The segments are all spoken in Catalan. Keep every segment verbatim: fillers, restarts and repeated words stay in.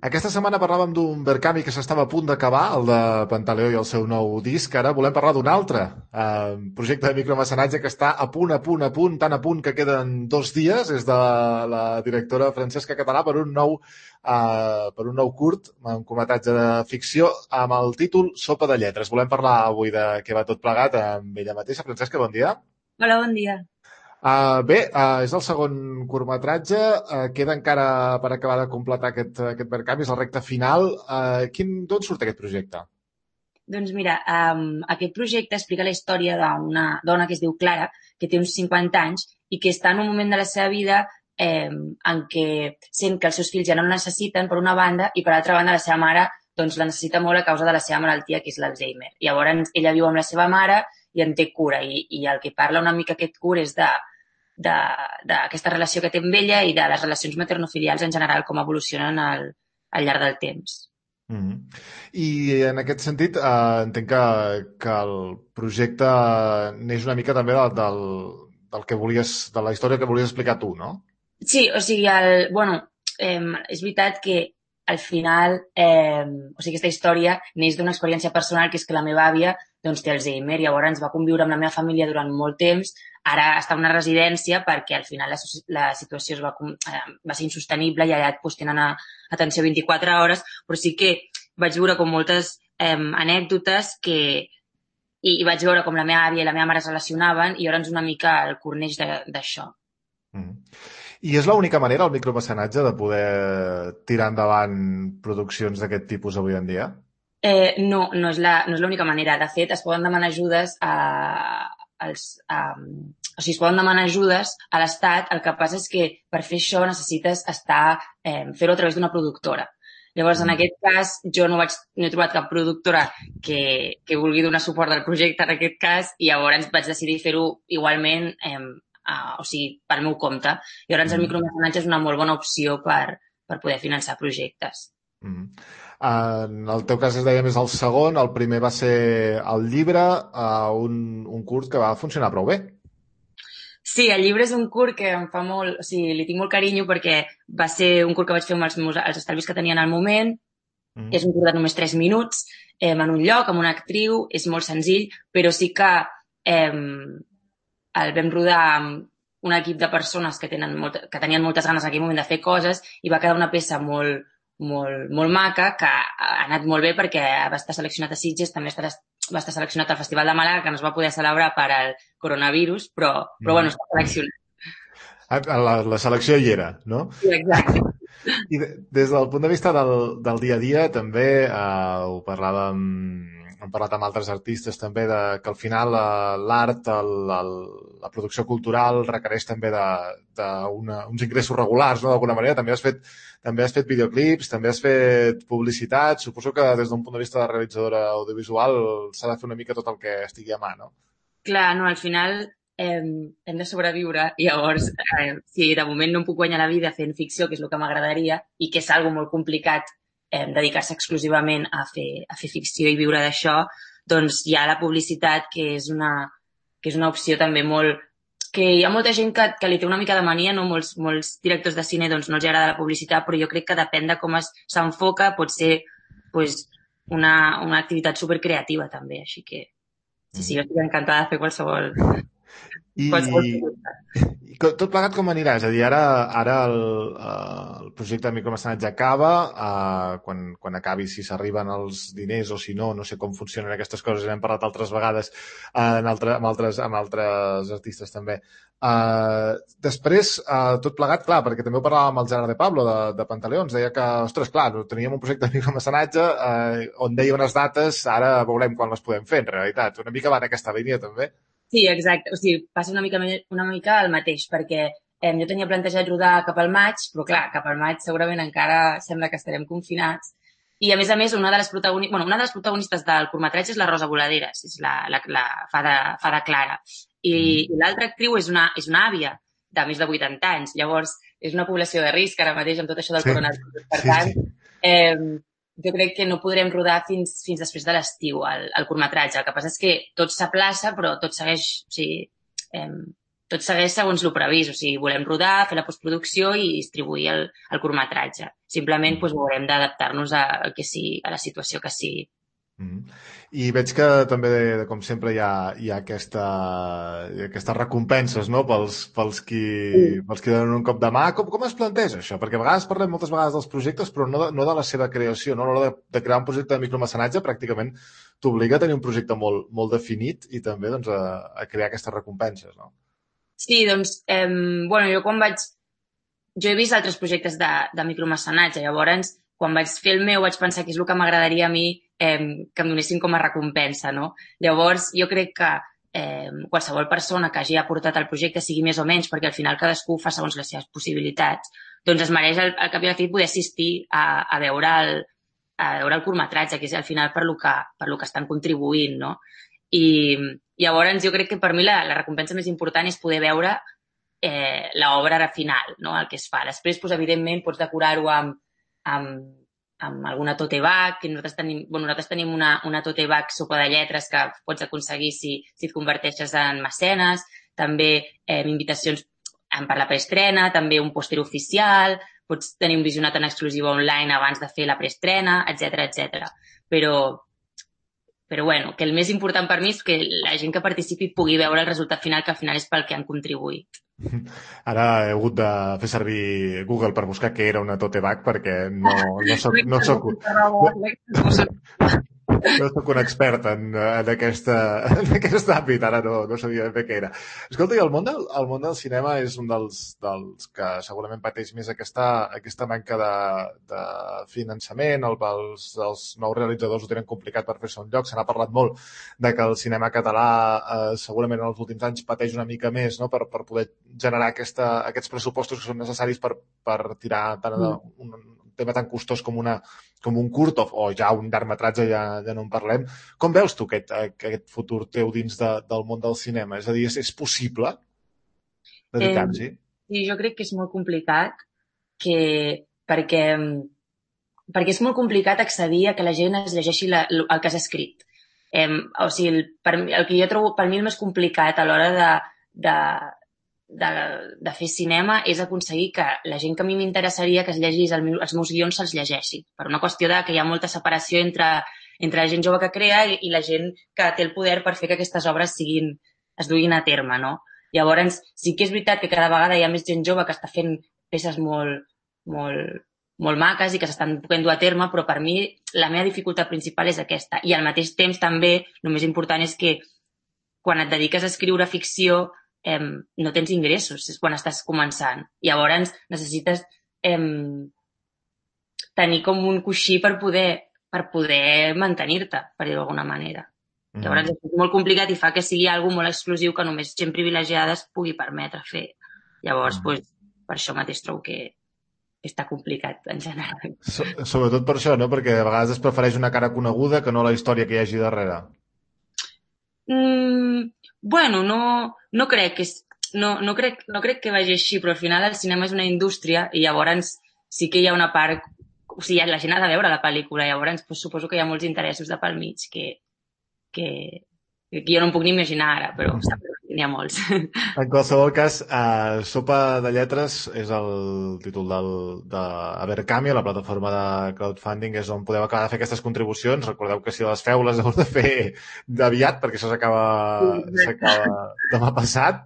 Aquesta setmana parlàvem d'un Berkami que s'estava a punt d'acabar, el de Pantaleó i el seu nou disc. Ara volem parlar d'un altre eh, projecte de micromecenatge que està a punt, a punt, a punt, tan a punt que queden dos dies. És de la directora Francesca Català per un nou, eh, per un nou curt, un curtmetratge de ficció amb el títol Sopa de lletres. Volem parlar avui de què va tot plegat amb ella mateixa. Francesca, bon dia. Hola, bon dia. Uh, bé, uh, és el segon curtmetratge, uh, queda encara per acabar de completar aquest, aquest Verkami, és la recta final. Uh, quin, d'on surt aquest projecte? Doncs mira, um, aquest projecte explica la història d'una dona que es diu Clara, que té uns cinquanta anys i que està en un moment de la seva vida eh, en què sent que els seus fills ja no la necessiten, per una banda, i per altra banda la seva mare doncs, la necessita molt a causa de la seva malaltia, que és l'Alzheimer. Llavors, ella viu amb la seva mare i en té cura, i, i el que parla una mica aquest curt és de d'aquesta relació que té amb ella i de les relacions maternofilials en general, com evolucionen al, al llarg del temps. Mm -hmm. I en aquest sentit, uh, entenc que, que el projecte neix una mica també del, del, del que volies, de la història que volies explicar tu, no? Sí, o sigui, el, bueno, eh, és veritat que al final, eh, o sigui, aquesta història neix d'una experiència personal, que és que la meva àvia doncs, té Alzheimer, llavors va conviure amb la meva família durant molt temps, ara està en una residència perquè al final la, la situació es va, eh, va ser insostenible i allà doncs, tenen a, atenció vint-i-quatre hores, però sí que vaig veure com moltes eh, anècdotes que, i, i vaig veure com la meva àvia i la meva mare es relacionaven i llavors una mica el corneix d'això. Mm -hmm. I és l'única manera, el micromecenatge, de poder tirar endavant produccions d'aquest tipus avui en dia? Eh, no, no és la, no és l'única manera. De fet, es poden demanar ajudes a, als, a, o sigui, es poden demanar ajudes a l'Estat. El que passa és que per fer això necessites estar, eh, fer-ho a través d'una productora. Llavors, en Mm. aquest cas, jo no, vaig, no he trobat cap productora que, que vulgui donar suport al projecte en aquest cas i llavors vaig decidir fer-ho igualment, eh, a, o sigui, pel meu compte. Llavors, el Mm. micromecenatge és una molt bona opció per, per poder finançar projectes. Mm. En el teu cas, es deia més el segon, el primer va ser el llibre, uh, un, un curt que va funcionar prou bé. Sí, el llibre és un curt que em fa molt... O sigui, li tinc molt carinyo perquè va ser un curt que vaig fer amb els, meus, els estalvis que tenia en el moment. Mm. És un curt de només tres minuts, eh, en un lloc, amb una actriu, és molt senzill, però sí que eh, el vam rodar amb un equip de persones que, tenen molt, que tenien moltes ganes en aquell moment de fer coses i va quedar una peça molt, molt, molt maca que ha anat molt bé perquè va estar seleccionat a Sitges, també va estar seleccionat al Festival de Màlaga, que no es va poder celebrar per al coronavirus, però, però bueno, Mm. està seleccionat. La, la selecció hi era, no? Sí, exacte. I de, des del punt de vista del, del dia a dia, també eh, ho parlàvem, hem parlat amb altres artistes també, de, que al final eh, l'art, el, el, la producció cultural requereix també de, de una, uns ingressos regulars, no? D'alguna manera. També has fet, també has fet videoclips, també has fet publicitat. Suposo que des d'un punt de vista de realitzadora audiovisual s'ha de fer una mica tot el que estigui a mà, no? Clar, no, al final eh, hem de sobreviure i llavors, eh, si de moment no em puc guanyar la vida fent ficció, que és el que m'agradaria, i que és algo molt complicat eh, dedicar-se exclusivament a fer, a fer ficció i viure d'això, doncs hi ha la publicitat, que és una, que és una opció també molt... que hi ha molta gent que, que li té una mica de mania, no? Molts, molts directors de cine doncs, no els agrada la publicitat, però jo crec que depèn de com s'enfoca, pot ser pues, una, una activitat supercreativa també, així que sí, sí, jo estic encantada de fer qualsevol, I, qualsevol producte. i co- tot plegat com anirà? És a dir, ara, ara el, eh, el projecte de micromecenatge acaba, eh, quan, quan acabi, si s'arriben els diners o si no, no sé com funcionen aquestes coses, n'hem parlat altres vegades eh, en altre, amb, altres, amb altres artistes també. Eh, després, eh, tot plegat, clar, perquè també ho parlàvem amb el Gerard de Pablo de, de Pantaleons, deia que, ostres, clar, teníem un projecte de micromecenatge eh, on deia unes dates, ara veurem quan les podem fer, en realitat. Una mica va en aquesta línia, també. Sí, exacte. O sigui, passa una mica, una mica el mateix, perquè eh, jo tenia plantejat rodar cap al maig, però clar, cap al maig segurament encara sembla que estarem confinats. I a més a més, una de les protagonistes, bueno, una de les protagonistes del curtmetratge és la Rosa Voladeres, és la, la, la fada, fada Clara. I, Mm. i l'altra actriu és una, és una àvia de més de vuitanta anys. Llavors, és una població de risc ara mateix amb tot això del Sí, coronavirus. Per sí, tant, sí. eh, jo crec que no podrem rodar fins, fins després de l'estiu, el, el curtmetratge. El que passa és que tot s'aplaça, però tot segueix, o sigui, eh, tot segueix segons el previst. O sigui, volem rodar, fer la postproducció i distribuir el, el curtmetratge. Simplement doncs, haurem d'adaptar-nos a, a, que sigui, a la situació que sigui. Mm. I veig que també, com sempre, hi ha, hi ha aquesta, aquestes recompenses, no?, pels, pels, qui, Mm. pels qui donen un cop de mà. Com, com es planteja això? Perquè a vegades parlem moltes vegades dels projectes, però no de, no de la seva creació. No? A l'hora de, de crear un projecte de micromecenatge, pràcticament t'obliga a tenir un projecte molt, molt definit i també doncs, a, a crear aquestes recompenses, no? Sí, doncs, eh, bueno, jo quan vaig... Jo he vist altres projectes de, de micromecenatge, llavors, quan vaig fer el meu, vaig pensar que és el que m'agradaria a mi eh, que em donessin com a recompensa, no? Llavors, jo crec que eh, qualsevol persona que hagi aportat al projecte, sigui més o menys, perquè al final cadascú fa segons les seves possibilitats, doncs es mereix al, al cap i a la fi poder assistir a, a veure el, a veure el curtmetratge, que és al final per lo que, per lo que estan contribuint, no? I llavors jo crec que per mi la, la recompensa més important és poder veure eh, l'obra final, no? El que es fa. Després, doncs, evidentment, pots decorar-ho amb, amb, amb alguna tote bag, que nosaltres tenim, bueno, nosaltres tenim una, una tote bag sopa de lletres que pots aconseguir si, si et converteixes en mecenes, també eh, invitacions per la preestrena, també un pòster oficial, pots tenir un visionat en exclusiva online abans de fer la preestrena, etcètera, etcètera. Però Però bueno, que el més important per mi és que la gent que participi pugui veure el resultat final, que al final és pel que han contribuït. Ara he hagut de fer servir Google per buscar què era una tote bag perquè no, no soc... No soc... No soc un expert en, en, aquesta, en aquest àmbit, ara no, no sabia bé què era. Escolta, i el món del, el món del cinema és un dels, dels que segurament pateix més aquesta, aquesta manca de, de finançament, el, els, els nous realitzadors ho tenen complicat per fer-se un lloc. Se n'ha parlat molt de que el cinema català eh, segurament en els últims anys pateix una mica més, no?, per, per poder generar aquesta, aquests pressupostos que són necessaris per, per tirar tant de, un, un tema tan costós com una com un curt o, o ja un llargmetratge, ja, ja no en parlem. Com veus tu aquest, aquest futur teu dins de, del món del cinema? És a dir, és, és possible dedicar-s'hi? Eh, sí, jo crec que és molt complicat que, perquè, perquè és molt complicat accedir a que la gent es llegeixi la, el que has escrit. Eh, o sigui, el, per, el que jo trobo per mi el més complicat a l'hora de, de, de, de fer cinema és aconseguir que la gent que a mi m'interessaria que es llegís el meu, els meus guions se'ls llegeixi. Per una qüestió de que hi ha molta separació entre, entre la gent jove que crea i, i la gent que té el poder per fer que aquestes obres siguin, es duguin a terme, no? Llavors, sí que és veritat que cada vegada hi ha més gent jove que està fent peces molt, molt, molt maques i que s'estan podent dur a terme, però per mi la meva dificultat principal és aquesta. I al mateix temps també, el més important és que quan et dediques a escriure ficció Eh, no tens ingressos, és quan estàs començant. Llavors necessites eh, tenir com un coixí per poder, per poder mantenir-te, per dir-ho d'alguna manera. Mm. Llavors és molt complicat i fa que sigui algo molt exclusiu que només gent privilegiada es pugui permetre fer. Llavors, mm. pues, per això mateix trobo que està complicat en general. So, sobretot per això, no? Perquè a vegades es prefereix una cara coneguda que no la història que hi hagi darrere. Mm, bueno, no, no crec que no, no, crec, no crec que vagi així, però al final el cinema és una indústria i llavors sí que hi ha una part, o sigui, la gent ha de veure la pel·lícula, llavors pues, suposo que hi ha molts interessos de pel mig que, que, que jo no em puc ni imaginar ara, però n'hi ha molts. En qualsevol cas, uh, Sopa de Lletres és el títol del, de Abercami, la plataforma de crowdfunding, és on podeu acabar de fer aquestes contribucions. Recordeu que si les feu les heu de fer d'aviat, perquè això s'acaba s'acaba demà passat.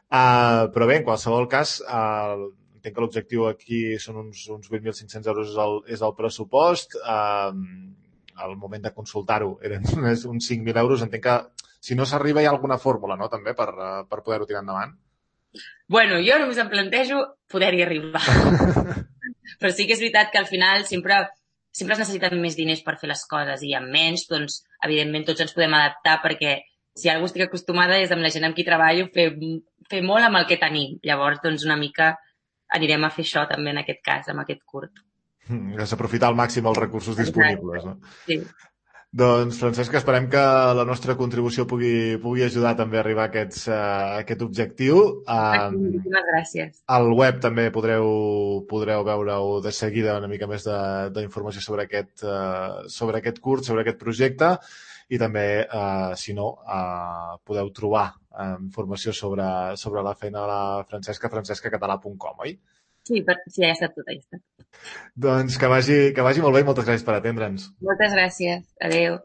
Uh, però bé, en qualsevol cas, uh, entenc que l'objectiu aquí són uns, uns vuit mil cinc-cents euros és el, és el pressupost. Uh, al moment de consultar-ho eren uns cinc mil euros. Entenc que si no s'arriba hi ha alguna fórmula, no?, també, per, per poder-ho tirar endavant. Bueno, jo només em plantejo poder-hi arribar. Però sí que és veritat que al final sempre, sempre es necessiten més diners per fer les coses i amb menys, doncs, evidentment, tots ens podem adaptar perquè si algú estic acostumada és amb la gent amb qui treballo fer, fer molt amb el que tenim. Llavors, doncs, una mica anirem a fer això també en aquest cas, amb aquest curt. És aprofitar al màxim els recursos disponibles, no? Sí. Doncs, Francesca, esperem que la nostra contribució pugui, pugui ajudar també a arribar a, aquests, uh, a aquest objectiu. Perfecte, Um, moltíssimes gràcies. al web també podreu, podreu veure-ho de seguida una mica més d'informació sobre, aquest, uh, sobre aquest curs, sobre aquest projecte, i també, uh, si no, uh, podeu trobar uh, informació sobre, sobre la feina de la Francesca, francescacatalà punt com, oi? Sí, per... sí, ja està tot, ja està. Doncs que vagi, que vagi molt bé i moltes gràcies per atendre'ns. Moltes gràcies. Adéu.